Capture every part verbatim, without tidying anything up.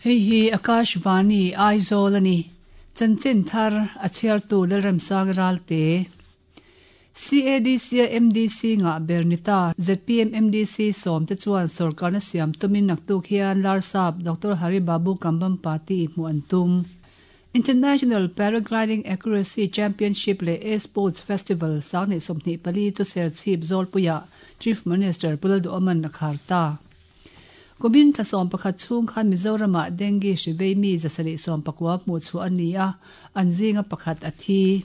Hei hi Akashvani Aizawl a ni. Chanchin thar a chhiartu Lalremsang Ralte. C A D C a M D C nga ber ni ta Z P M M D C sawm te chuan sorkarna siam tumin naktuk hian Larsap Doctor Hari Babu Kambhampati hmuh an tum. International Paragliding Accuracy Championship leh A Sports Festival sanghnih sawmhnih pali chu Serchhip Zawlpuia Chief Minister Pu Lalduhoma'n a khar ta. Kumin thla sawm pakhat chhung khan Mizoramah dengue hri vei mi zasarih sawm pakua hmuh chhuah a ni a, an zinga pakhat a thi.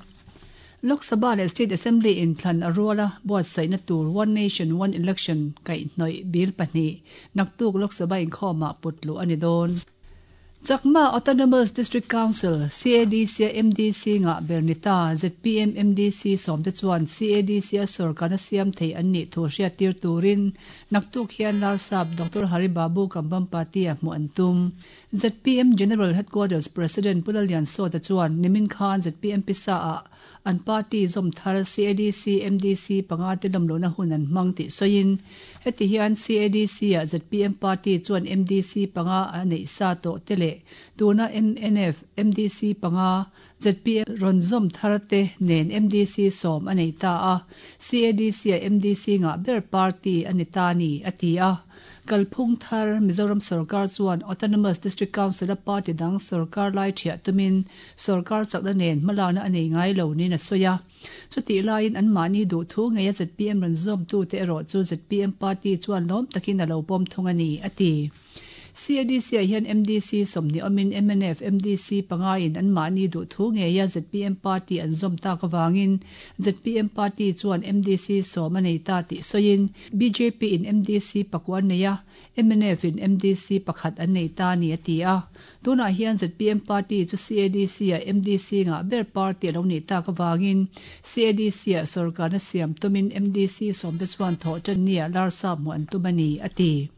Lok Sabha leh State Assembly inthlan a ruala buatsaihna tur One Nation One Election kaihhnawih bill pahnih naktuk Lok Sabha inkhawmah putluh a ni dawn. Chakma Autonomous District Council C A D C a M D C nga ber ni ta Z P M M D C sawm te chuan C A D C a sorkarna siam thei an nih thu hriattir turin naktuk hian Larsap Doctor Hari Babu Kambhampati a hmuh an tum. Z P M General Headquarters President Pu Lalliansawta chuan nimin khan Z P M pisa a an party zawm thar C A D C M D C panga te lawmlohna hun an hmang tih sawiin heti hian C A D C a Z P M party chuan M D C panga a neih sa tawh te leh tuna M N F M D C panga Z P M rawn zawm thar te nen M D C sawm a nei ta a, C A D C a M D C nga ber party a ni ta ni a ti a. Kalphung thar Mizoram sarkar chuan Autonomous District Council a party dang sarkar lai thiah tumin sarkar chakna nen hmalakna a nei ngai lo niin a sawi a. Chutih laiin an mahni duh thu ngei a Z P M rawn zawm tu te erawh chu Z P M party chuan lawm takin a lo pawm thung a ni a ti. C A D C ah hian M D C sawmhnih awmin M N F M D C panga in an mahni duh thu ngei a Z P M party an zawm tak awangin Z P M party chuan M D C sawm a nei ta tih sawiin B J P in M D C pakua an nei a, M N F in M D C pakhat an nei ta ni a ti a. Tunah hian Z P M party chu C A D C a M D C nga ber party a lo nih tak awangin C A D C a sorkarna siam tumin M D C sawm te chuan thawh tan nia Larsap hmuh an tum a ni a ti.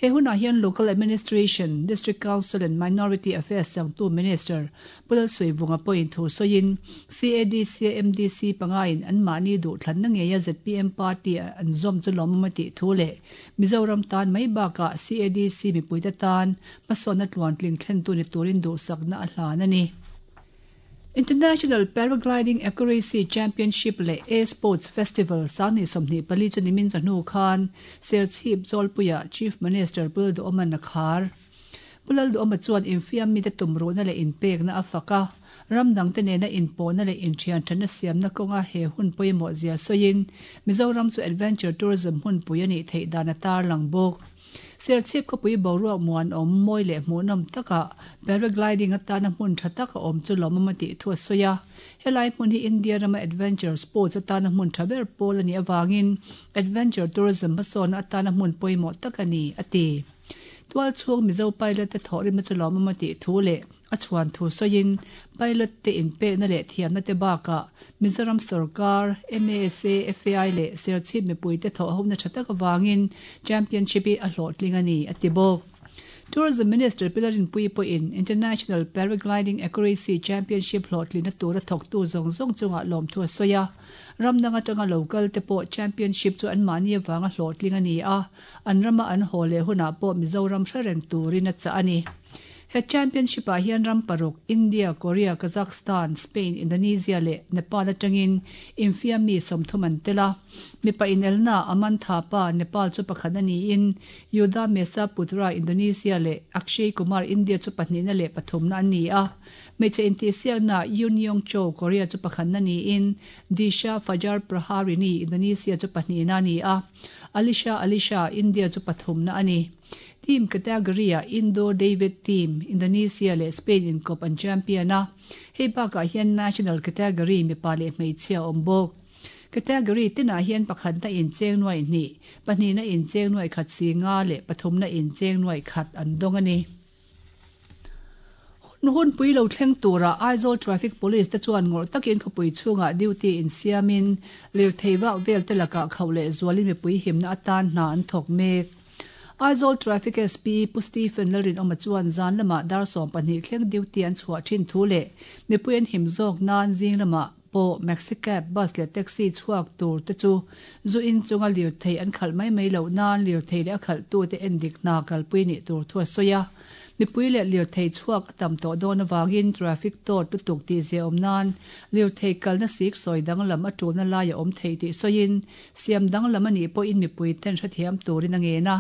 He hunah hian Local Administration, District Council and Minority Affairs changtu Minister Pu Lalsuihvunga pawhin thu sawiin C A D C a M D C panga in an mahni duh thlanna ngei a Z P M party an zawm chu lawmawm a tih thu leh Mizoram tan mai bakah C A D C mipuite tan hmasawnna tluantling thlentu ni turin duhsakna a hlan a ni. International Paragliding Accuracy Championship leh A Sports Festival sanghnih sawmhnih pali chu nimin chawhnu khan Serchhip Zawlpuia Chief Minister Pu Lalduhoma'n a khar. Pu Lalduhoma chuan infiam mite tumruhna leh inpekna a fak a, ram dang te nena inpawhna leh inthian thatna siamna kawnga he hun pawimawh zia sawiin Mizoram chu adventure tourism hmunpui a nih theih dan a tarlang bawk. Serchhip khawpui boruak muanawm mawi leh hmuhnawm takah paragliding atana hmun tha tak a awm chu lawmawm a tih thu a sawi a. Helai hmun hi India rama adventure sports atana hmun tha ber pawl a nih awangin adventure tourism hmasawnna atana hmun pawimawh tak a ni a ti. Tual chhung Mizo pilot te thawhrimna chu lawmawm a tih thu leh a chhuan thu sawiin pilot te inpekna leh thiamna te bakah Mizoram sarkar M A S A F A I leh Serchhip mipui te thawh hona tha tak awangin championship hi a hlawhtling a ni a ti bawk. Tourism Minister Pi Lalrinpuii pawhin International Paragliding Accuracy Championship hlawhtlina tura thawktu zawng zawng chungah lawm thu a sawi a. Ram dang atanga local te pawh championship chu an mahni awanga hlawhtling a ni a, an rama an haw leh hunah pawh Mizoram hre reng turin a chah a ni. He championship ah hian ram paruk India, Korea, Kazakhstan, Spain, Indonesia leh Nepal atangin infiam mi sawmthum an tel a. Mipa inelna Aman Thapa Nepal chu pakhat a niin Yuda Mesa Putra Indonesia leh Akshay Kumar India chu pahnihna leh pathumna an ni a. Hmeichhe intihsiakna Yoon Yong Cho Korea chu pakhatna niin Disha Fajar Praharini Indonesia chu pahnihna a ni a. Alisha Alisha India chu pathumna a ni. Team category a Indo David Team Indonesia leh Spain inkawp an champion a. Hei bakah hian national category mipa leh hmeichhia awm bawk. Category tinah hian pakhatna in cheng nuai hnih, pahnihna in cheng nuai khat singa leh pathumna in cheng nuai khat an dawng a ni. Hun pui lo thleng tura Aizawl Traffic Police te chuan ngawrh takin khawpui chhungah duty in siamin lirthei vak vel te lakah khauh leh zualin mipui himna atan hna an thawk mek. Aizawl Traffic S P Pu Stephen Lalrinawma chuan zan lamah dar sawm pahnih thleng duty an chhuah thin thu leh mipui an him zawk nan zing lamah pawh maxi cab, bus leh taxi chhuak tur te chu zu in chunga lirthei an khalh mai mai loh nan lirthei leh a khalhtute endik hna kalpui nih tur thu a sawi a. Mipui leh lirthei chhuak a tam tawh dawn avangin traffic tawt lutuk tihziahawm nan lirthei kalna sik sawi danglam a tulna lai a awm thei tih sawiin siam danglam a nih pawhin mipui ten hrethiam turin a ngen a.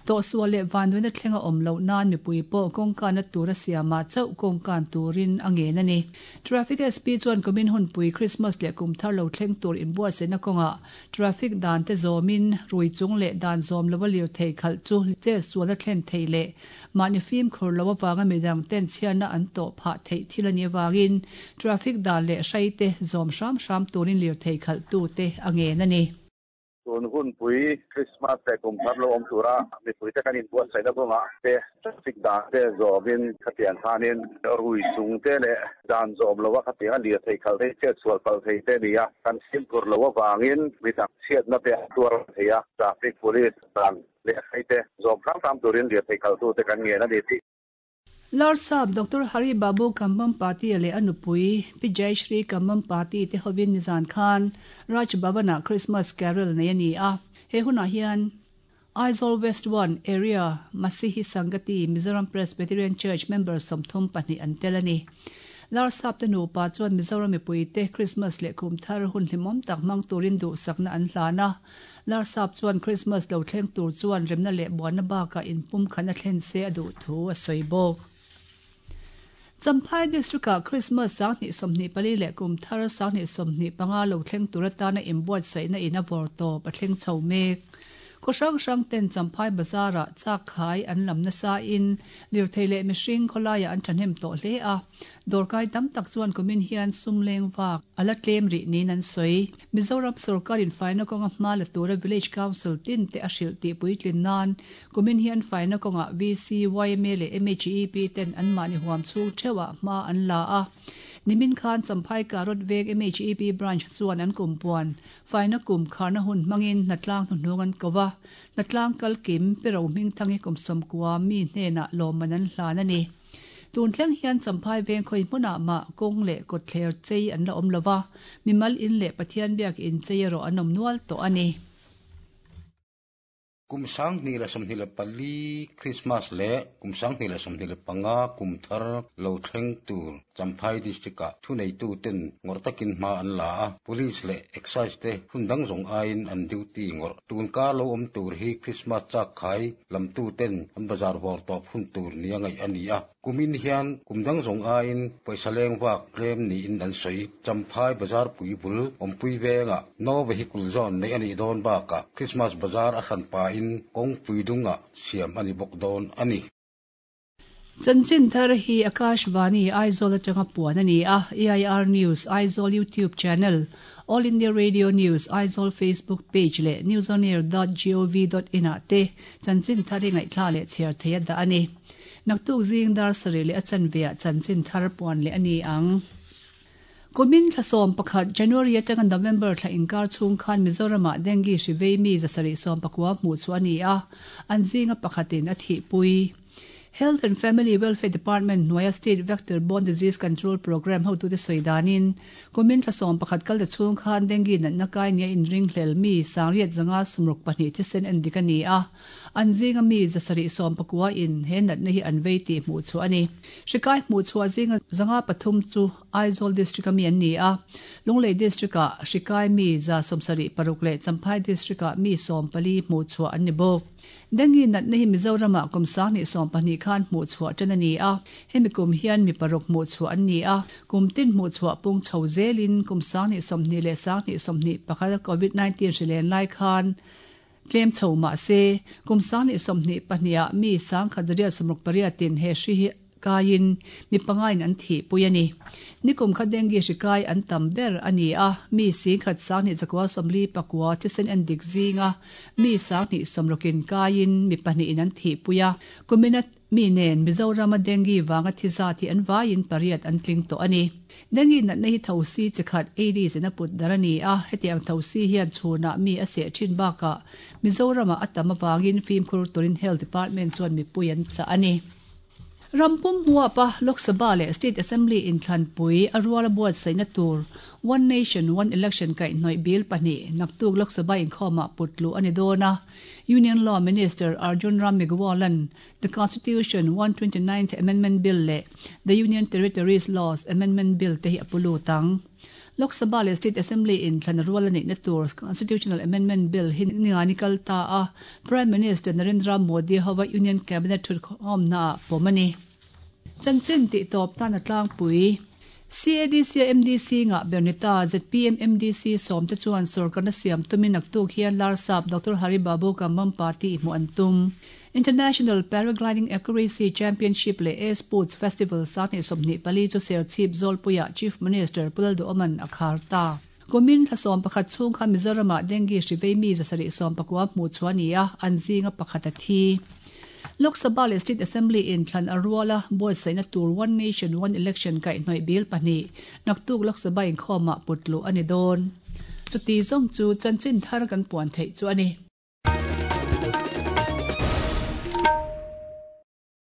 Tawhsual leh vanduaina thleng a awm loh nan mipui pawh kawngkanna tura siamah chauh kawngkan turin a ngen a ni. Traffic S P chuan kumin hunpui Christmas leh kum thar lo thleng tur inbuatsaihna kawngah traffic dan te zawmin rui chung leh dan zawm lova lirthei khalh chu chetsualna thlen thei leh mahni fimkhur lo avanga midang ten chhiatna an tawh phah theih thil a nih avangin traffic dan leh hrai te zawm hram hram turin lirthei khalhtute a ngen a ni. Tun hunpui Christmas leh kum thar lo awm tura mipuite kan inbuatsaihna kawngah te traffic dan te zawmin khatiang khanin rui chung te leh dan zawm lova khatiang a lirthei khalh thei chetsual palh thei te ni a kan fimkhur lo avangin midang chhiatna te an tuar thei a traffic police dan leh hrai te zawm hram hram turin lirthei khalhtute kan ngen a ni tih. Larsap Doctor Hari Babu Kambhampati leh a nupui Pi Jayashree Kambhampati te hovin nizan khan Raj Bhavan-ah Christmas carol nei a ni a. He hunah hian Aizawl West one Area Masihi Sangati Mizoram Presbyterian Church member sawmthum pahnih an tel a ni. Larsap te nupa chuan Mizoram mipui te Christmas leh kum thar hun hlimawm tak hmang turin duhsakna an hlan a. Larsap chuan Christmas lo thleng tur chuan remna leh buanna bakah inpum khan a thlen se a duh thu a sawi bawk. Champhai District-ah Christmas sanghnih sawmhnih pali leh kum thar sanghnih sawmhnih panga lo thleng tur atana inbuatsaihna in a vawr tawp a thleng chho mek. Khaw hrang hrang ten Champhai Bazar-ah chak khai an lam nasa in lirthei leh mihring khawlaiah an thahnem tawh hle a. Dawrkai tam tak chuan kumin hian sum leng vak a la tlem rih niin an sawi. Mizoram sorkarin faina kawnga hma la tura Village Council tin te a hrilh tih puitlin nan kumin hian faina kawngah V C, Y M A leh M H E P ten an mahni huam chhung theuhah hma an la a. Nimin khan Champhai Karot Veng M H E P branch chuan an kumpuan faina kum kharna hun hmangin hnatlang hnuhnung an ko a. Hnatlang kalkim pero hming thangi kum sawmkua mi hnenah lawmman an hlan a ni. Tun thleng hian Champhai Veng khawi hmunah mah kawng leh kawtthler chei an la awm lova, mimal in leh Pathian biak in chei erawh an awm nual tawh a ni. Kum sanghnih leh sawmhnih leh pali Christmas leh kum sanghnih leh sawmhnih leh panga kum thar lo thleng tur Champhai District-ah thuneitu ten ngawrh takin hma an la a. Police leh excise te hun dang zawng aiin an duty ngawrh. Tun kar lo awm tur hi Christmas chak khai lamtu ten an bazar vawr tawp hun tur ni a ngaih a ni a. Kumin hian kum dang zawng aiin pawisa leng vak tlem niin an sawi. Champhai Bazar pui bul awmpui vengah no vehicle zone nei a nih dawn bakah Christmas bazar a hran pa in kawngpui dungah siam a ni bawk dawn a ni. Chanchin thar hi Akashvani Aizawl atanga puan a ni a. A I R News Aizawl YouTube channel, All India Radio News Aizawl Facebook page leh newsonair dot gov dot in ah te chanchin thar hi ngaihthla leh chhiar thei a dah a ni. Naktuk zing dar sarih leh a chanveah chanchin thar puan leh a ni ang. Kumin thla sawm pakhat January atanga November thla inkar chhung khan Mizoramah dengue hri vei mi zasarih sawm pakua hmuh chu a ni a. An zinga pakhatin a thihpui. Health and Family Welfare Department hnuaia State Vector Borne Disease Control Program hotute sawi danin kumin thla sawm pakhat kal te chhung khan dengue natna kai nia inring hlel mi sangriat zanga sumruk pahnih thisen en dik a ni a. An zinga mi zasarih sawm pakua in he natna hi an vei tih hmuh chu a ni. Hri kai hmuh chhuah zinga zanga pathum chu Aizawl District-a mi an ni a. Lunglei District-ah hri kai mi za sawmsarih paruk leh Champhai District-ah mi sawm pali hmuh chhuah an ni bawk. Dengue natna hi Mizoramah kum sanghnih sawm pahnih khan hmuh chhuah tan a ni a. Hemi kum hian mi paruk hmuh chhuah an ni a. Kum tin hmuh chhuah pung chho zelin kum sanghnih sawmhnih leh sanghnih sawmhnih pakhat COVID nineteen hri len lai khan tlem chho mah se kum sanghnih sawmhnih pahniha mi sangkhat zariat sawmruk pariatin he hri hi kaiin mi pangain an thihpui a ni. Nikum kha dengue hri kai an tam ber a ni a. Mi singkhat sanghnih zakua sawmli pakua thisen en dik zinga mi sanghnih sawmrukin kaiin mi pahnihin an thihpui a. Kumina mi nen Mizorama dengue wanga thiza thi an vaiin pariat an tling tawh a ni. Dengue natna hi thosi chikhat Aedes in a put dar a ni a. Hetiang thosi hian chhunah mi a seh thin bakah Mizorama a tam awangin fimkhur turin Health Department chuan mipui an chah a ni. Rampum huapa Lok Sabha leh State Assembly inthlanpui a ruala buatsaihna tur One Nation One Election kaihhnawih bill pahnih naktuk Lok Sabha inkhawmah putluh a ni dawn a. Union Law Minister Arjun Ram Meghwal-a'n The Constitution one twenty ninth Amendment Bill leh The Union Territories Laws Amendment Bill te hi a pu lut ang. Lok Sabha leh State Assembly inthlan rual a neihna tur Constitutional Amendment Bill hi ningani kal ta a, Prime Minister Narendra Modi hova Union Cabinet thutkhawmnaah pawm a ni. Chanchin tih tawp tan a tlangpui. C A D C a M D C ngah ber ni ta Z P M M D C sawmte chuan sorkarna siam tumin naktuk hian Larsap Doctor Hari Babu Kambhampati hmuh an tum. International Paragliding Accuracy Championship leh A Sports Festival sanghnih sawmhnih pali chu Serchhip Zawlpuiah Chief Minister Pu Lalduhoma'n a khar ta. Kumin thla sawm pakhat chhung kha Mizoramah dengue hri vei mi zasarih sawm pakua hmuh chhuah a ni a, an zinga pakhat a thi. Lok Sabha leh State Assembly inthlan a rual a buatsaihna tur One Nation One Election kaihhnawih bill pahnih naktuk Lok Sabha inkhawmah putluh a ni dawn. Chuti zawng chu chanchin thar kan puan theih chu a ni.